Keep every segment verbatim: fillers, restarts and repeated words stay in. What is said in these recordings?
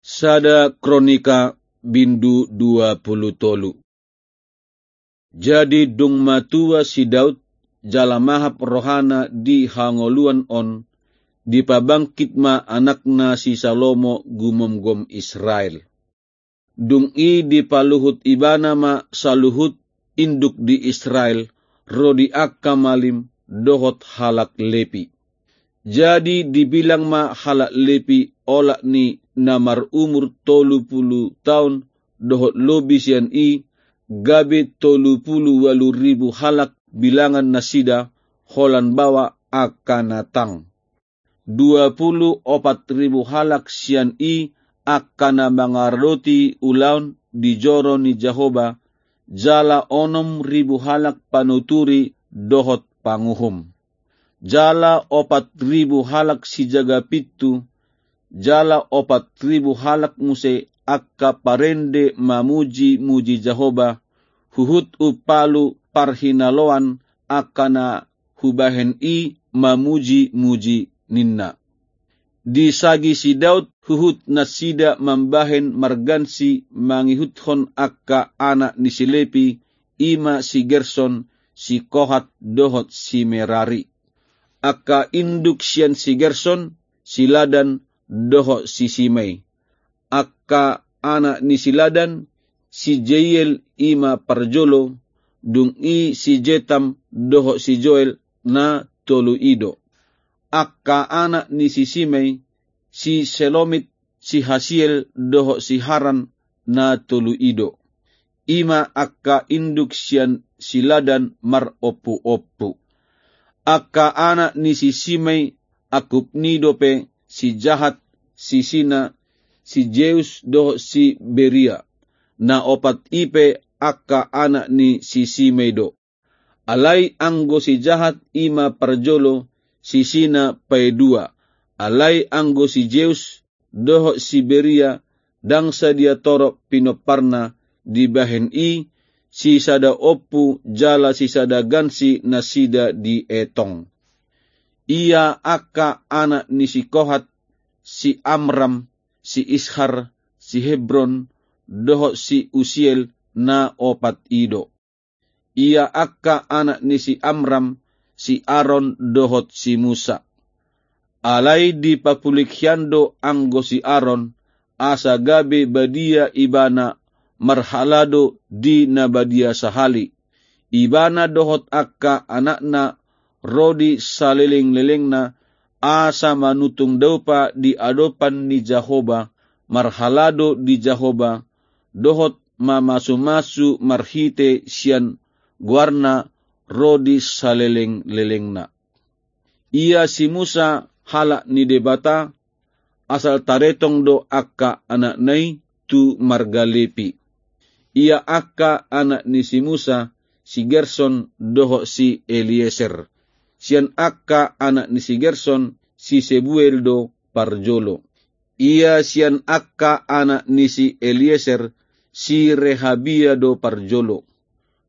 Sada Kronika bindu dua pulu tolu. Jadi dung matua si Daud, jala mahap rohana di hangoluan on, dipabangkit ma anakna si Salomo gumomgom Israel. Dung i dipaluhut ibana ma saluhut induk di Israel, ro di angka malim dohot halak Lepi. Jadi dibilang ma halak Lepi olat ni na marumur tolu pulu taon dohot lobi sian i, gabe tolu pulu ualu ribu halak bilangan nasida, holan baoa angka na tang. Dua pulu opat ribu halak sian i angka na mangaradoti ulaon di joro ni Jahowa, jala onom ribu halak panuturi dohot panguhum. Jala opat ribu halak sijaga pintu, jala opat ribu halak muse angka parende mamuji-muji Jahowa, huhut umpalu parhinaloan angka na hubahen i mamuji-muji ninna. Disagi si Daud huhut nasida mambahen margansi mangihuthon angka anak ni si Lepi, i ma si Gerson, si Kohat dohot si Merari. Angka induk sian si Gerson, si Ladan dohot si Simei. Angka anak ni si Ladan, si Jeiel i ma parjolo, dung i si Jetam dohot si Joel, na tolu i do. Angka anak ni si Simei, si Selomit, si Hasiel dohot si Haran, na tolu i do. I ma angka induk sian si Ladan marompuompu. Angka anak ni si Simei, angkup ni dope, si Jahat, si Sina, si Jeus dohot si Beria. Na opat i pe angka anak ni si Simei do. Alai anggo si Jahat i ma parjolo, si Sina paidua. Alai anggo si Jeus dohot si Beria, ndang sadia torop pinomparna, dibahen i sisada ompu jala sisada gansi nasida dietong. Ia angka anak ni si Kohat, si Amram, si Ishar, si Hebron dohot si Usiel, na opat i do. Ia angka anak ni si Amram, si Aron dohot si Musa. Alai dipapulik hian do anggo si Aron, asa gabe badia ibana marhalado di na badia sahali. Ibana dohot angka anakna ro di salelenglelengna, asa manutung daupa di adopan ni Jahowa, marhalado di Jahowa, dohot mamasumasu marhite sian goarna ro di salelenglelengna. Ia si Musa halak ni Debata, asal taretong do angka anakna i tu marga Lepi. Ia angka anak ni si Musa, si Gerson dohot si Elieser. Sian angka anak ni si Gerson, si Sebuel do parjolo. Ia sian angka anak ni si Elieser, si Rehabia do parjolo.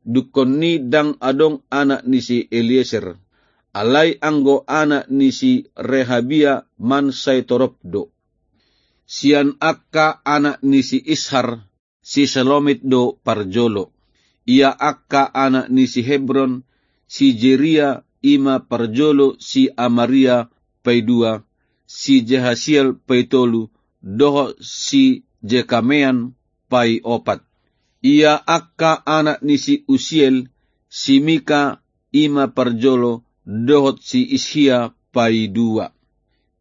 Dungkon ni ndang adong anak ni si Elieser. Alai anggo anak ni si Rehabia mansai torop do. Sian angka anak ni si Ishar, si Selomit do parjolo. Ia angka anak ni si Hebron, si Jeria i ma parjolo, si Amaria paidua, si Jehasiel paitolu, dohot si Jekamean paiopat. Ia angka anak ni si Usiel, si Mika i ma parjolo, dohot si Ishia paidua.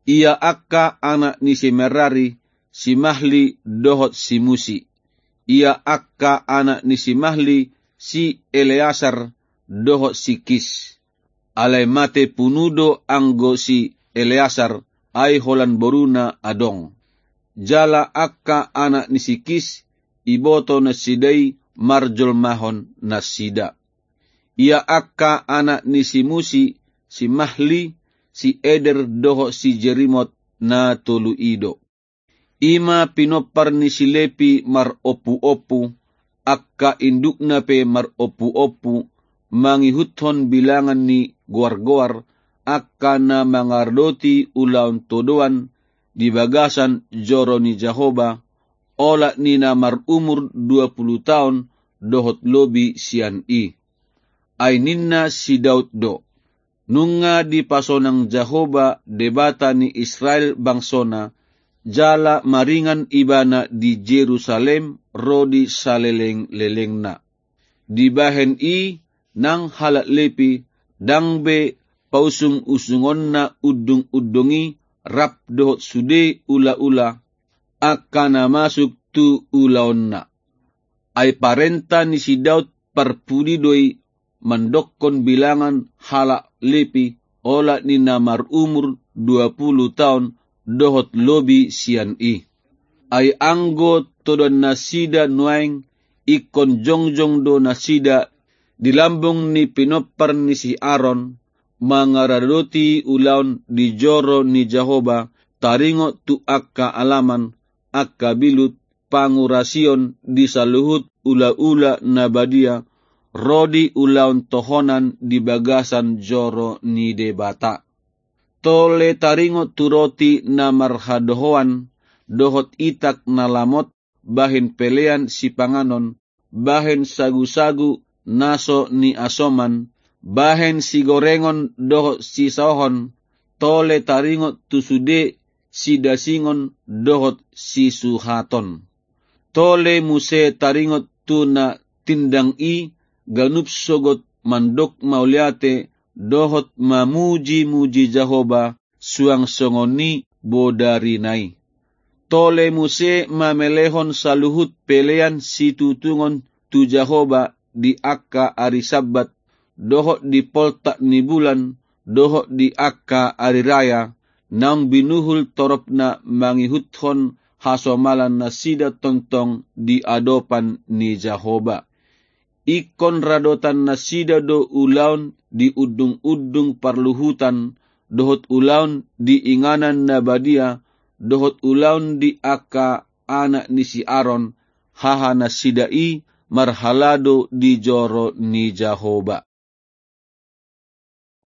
Ia angka anak ni si Merari, si Mahli dohot si Musi. Ia angka anak ni si Mahli, si Eleasar dohot si Kis. Alai mate punu do anggo si Eleasar, ai holan boruna adong. Jala angka anak ni si Kis, iboto nasida i marjolmahon nasida. Ia angka anak ni si Musi, si Mahli, si Eder dohot si Jerimot, na tolu i do. I ma pinompar ni si Lepi marompuompu, angka indukna pe marompuompu, mangihuthon bilangan ni goargoar, angka na mangaradoti ulaon todoan di bagasan joro ni Jahowa, olat ni na marumur dua pulu taon dohot lobi sian i. Ai ninna si Daud do: Nunga dipasonang Jahowa Debata ni Israel bangsona, jala maringan ibana di Jerusalem ro di saleleng-lelengna. Dibahen i nang halak Lepi, ndang be pausung-usungonna undung-undung i rap dohot sude ula-ula, angka na masuk tu ulaonna. Ai parenta ni si Daud parpudi do i mandokkon bilangan halak Lepi, olat ni na marumur dua pulu taon dohot lobi sian i. Ai anggo todoan nasida nuaeng, ingkon jongjong do nasida di lambung ni pinompar ni si Aron, mangaradoti ulaon di joro ni Jahowa, taringot tu angka alaman, angka bilut, pangurasion di saluhut ula-ula na badia, ro di ulaon tohonan di bagasan joro ni Debata. Tole taringot tu roti na marhadohoan, dohot itak na lamot, bahen pelean sipanganon, bahen sagu-sagu na so niasoman, bahen sigorengon dohot sisaohon, tole taringot tu sude sidasingon dohot sisuhaton. Tole muse taringot tu na tindang i ganup sogot mandok mauliate dohot mamuji-muji Jahowa, suang songon i bodarina i. Tole muse mamelehon saluhut pelean situtungon tu Jahowa di angka ari Sabbat, dohot di poltak ni bulan, dohot di angka ari raya, naung binuhul toropna mangihuthon hasomalan nasida tongtong di adopan ni Jahowa. Ingkon radotan nasida do ulaon di undung-undung parluhutan, dohot ulaon di inganan na badia, dohot ulaon di angka anak ni si Aron, haha nasida i marhalado di joro ni Jahowa.